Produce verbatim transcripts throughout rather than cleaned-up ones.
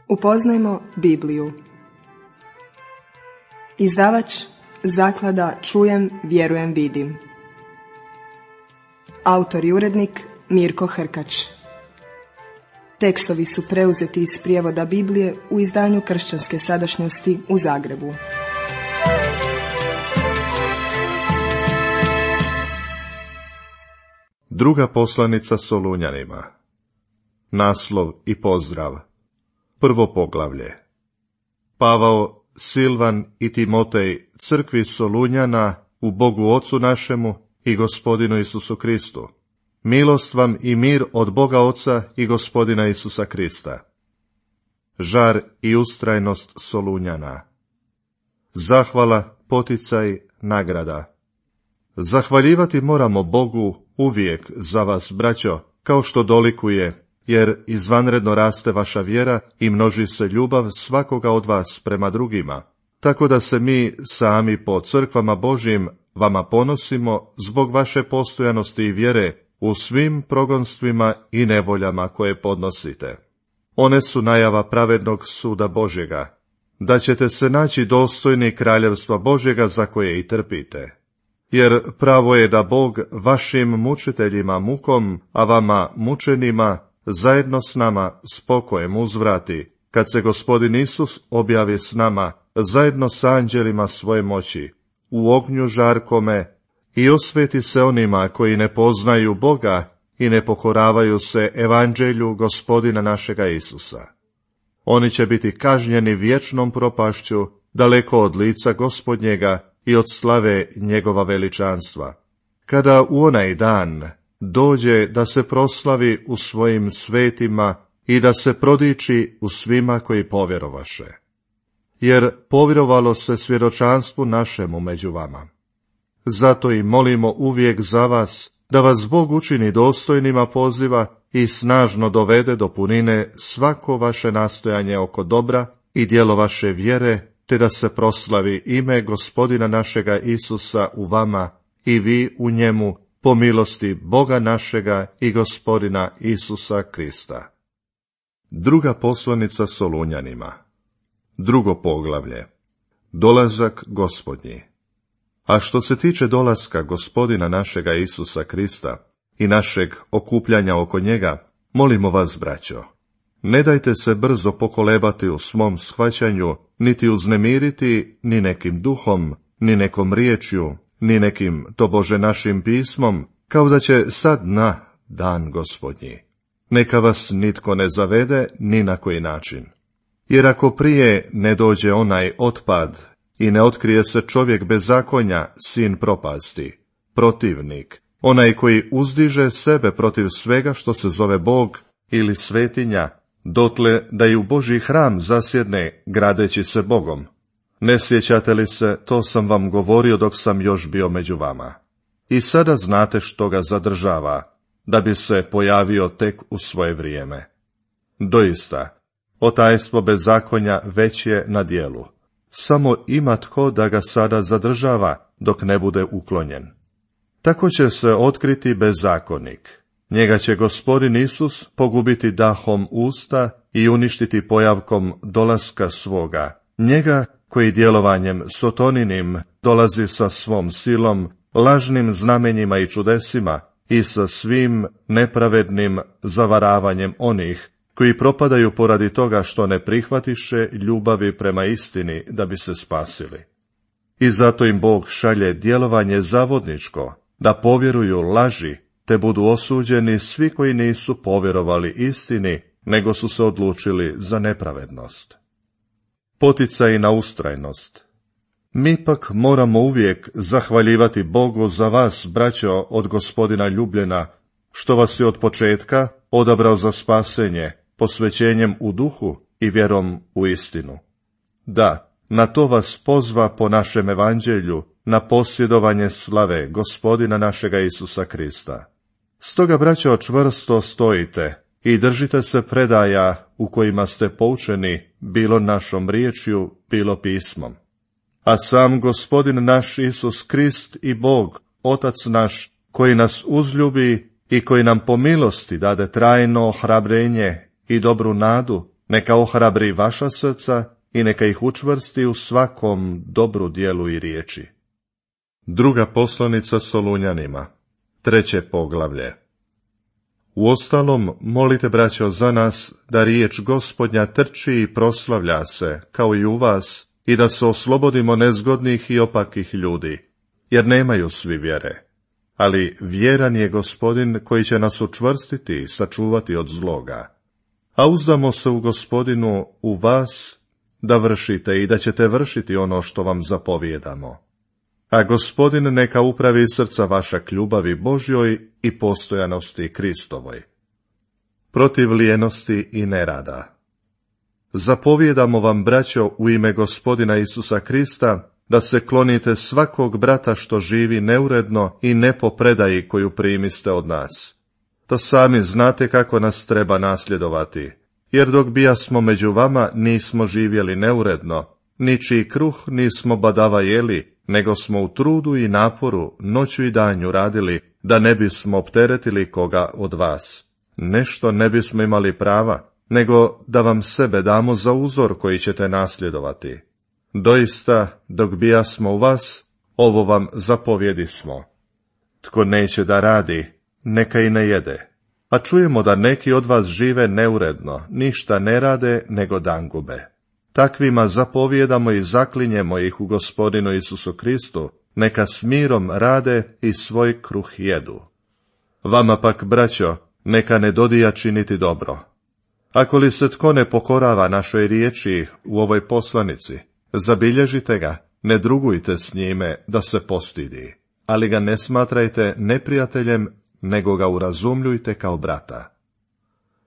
Upoznajmo Bibliju. Izdavač Zaklada Čujem, vjerujem, vidim. Autor i urednik Mirko Hrkač. Tekstovi su preuzeti iz prijevoda Biblije u izdanju Kršćanske sadašnjosti u Zagrebu. Druga poslanica Solunjanima. Naslov i pozdrav. Prvo poglavlje. Pavao, Silvan i Timotej crkvi Solunjana u Bogu Ocu našemu i Gospodinu Isusu Kristu. Milost vam i mir od Boga Oca i Gospodina Isusa Krista. Žar i ustrajnost Solunjana. Zahvala, poticaj, nagrada. Zahvaljivati moramo Bogu uvijek za vas, braćo, kao što dolikuje, jer izvanredno raste vaša vjera i množi se ljubav svakoga od vas prema drugima, tako da se mi sami po crkvama Božjim vama ponosimo zbog vaše postojanosti i vjere u svim progonstvima i nevoljama koje podnosite. One su najava pravednog suda Božjega, da ćete se naći dostojni kraljevstva Božjega za koje i trpite. Jer pravo je da Bog vašim mučiteljima mukom, a vama mučenima, zajedno s nama spokojem uzvrati, kad se Gospodin Isus objavi s nama, zajedno s anđelima svoje moći, u ognju žarkome, i osveti se onima koji ne poznaju Boga i ne pokoravaju se evanđelju Gospodina našega Isusa. Oni će biti kažnjeni vječnom propašću, daleko od lica Gospodnjega i od slave njegova veličanstva, kada u onaj dan dođe da se proslavi u svojim svetima i da se prodiči u svima koji povjerovaše. Jer povjerovalo se svjedočanstvu našemu među vama. Zato i molimo uvijek za vas, da vas Bog učini dostojnima poziva i snažno dovede do punine svako vaše nastojanje oko dobra i djelo vaše vjere, te da se proslavi ime Gospodina našega Isusa u vama i vi u njemu, po milosti Boga našega i Gospodina Isusa Krista. Druga poslanica Solunjanima. Drugo poglavlje. Dolazak Gospodnji. A što se tiče dolaska Gospodina našega Isusa Krista i našeg okupljanja oko njega, molimo vas, braćo, ne dajte se brzo pokolebati u svom shvaćanju, niti uznemiriti ni nekim duhom, ni nekom riječju, ni nekim tobože našim pismom, kao da će sad na dan Gospodnji. Neka vas nitko ne zavede ni na koji način. Jer ako prije ne dođe onaj otpad i ne otkrije se čovjek bezakonja, sin propasti, protivnik, onaj koji uzdiže sebe protiv svega što se zove Bog ili svetinja, dotle da i u Božji hram zasjedne, gradeći se Bogom. Ne sjećate li se, to sam vam govorio dok sam još bio među vama. I sada znate što ga zadržava, da bi se pojavio tek u svoje vrijeme. Doista, otajstvo bezakonja već je na djelu. Samo ima tko da ga sada zadržava, dok ne bude uklonjen. Tako će se otkriti bezakonik. Njega će Gospodin Isus pogubiti dahom usta i uništiti pojavkom dolaska svoga. Njega koji djelovanjem sotoninim dolazi sa svom silom, lažnim znamenjima i čudesima i sa svim nepravednim zavaravanjem onih koji propadaju poradi toga što ne prihvatiše ljubavi prema istini da bi se spasili. I zato im Bog šalje djelovanje zavodničko, da povjeruju laži, te budu osuđeni svi koji nisu povjerovali istini, nego su se odlučili za nepravednost. Poticaj na ustrajnost. Mi pak moramo uvijek zahvaljivati Bogu za vas, braćo, od Gospodina ljubljena, što vas je od početka odabrao za spasenje, posvećenjem u duhu i vjerom u istinu. Da, na to vas pozva po našem evanđelju, na posjedovanje slave Gospodina našega Isusa Krista. Stoga, braćo, čvrsto stojite i držite se predaja u kojima ste poučeni, bilo našom riječju, bilo pismom. A sam Gospodin naš Isus Krist i Bog, Otac naš, koji nas uzljubi i koji nam po milosti dade trajno ohrabrenje i dobru nadu, Neka ohrabri vaša srca i neka ih učvrsti u svakom dobru djelu i riječi. Druga poslanica Solunjanima, treće poglavlje. Uostalom, molite, braćo, za nas da riječ Gospodnja trči i proslavlja se, kao i u vas, i da se oslobodimo nezgodnih i opakih ljudi, jer nemaju svi vjere. Ali vjeran je Gospodin koji će nas učvrstiti i sačuvati od zloga. A uzdamo se u Gospodinu, u vas, da vršite i da ćete vršiti ono što vam zapovijedamo. A Gospodin neka upravi srca vaša k ljubavi Božjoj i postojanosti Kristovoj. Protiv lijenosti i nerada. Zapovijedamo vam, braćo, u ime Gospodina Isusa Krista, da se klonite svakog brata što živi neuredno i ne po predaji koju primiste od nas. To sami znate kako nas treba nasljedovati, jer dok bijasmo među vama nismo živjeli neuredno, ničiji kruh nismo badava jeli, nego smo u trudu i naporu noću i danju radili, da ne bismo opteretili koga od vas. Nešto ne bismo imali prava, nego da vam sebe damo za uzor koji ćete nasljedovati. Doista, dok bijasmo u vas, ovo vam zapovjedismo. Tko neće da radi, neka i ne jede. A čujemo da neki od vas žive neuredno, ništa ne rade, nego dan gube. Takvima zapovjedamo i zaklinjemo ih u Gospodinu Isusu Kristu, neka s mirom rade i svoj kruh jedu. Vama pak, braćo, neka ne dodija činiti dobro. Ako li se tko ne pokorava našoj riječi u ovoj poslanici, zabilježite ga, ne drugujte s njime da se postidi, ali ga ne smatrajte neprijateljem, nego ga urazumljujte kao brata.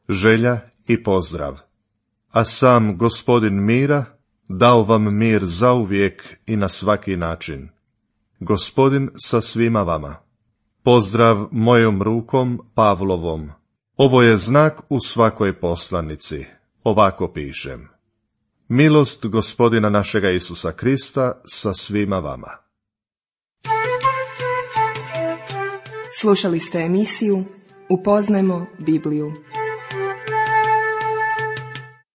Želja i pozdrav. A sam Gospodin mira dao vam mir zauvijek i na svaki način. Gospodin sa svima vama. Pozdrav mojom rukom Pavlovom. Ovo je znak u svakoj poslanici. Ovako pišem. Milost Gospodina našega Isusa Krista sa svima vama. Slušali ste emisiju Upoznajmo Bibliju.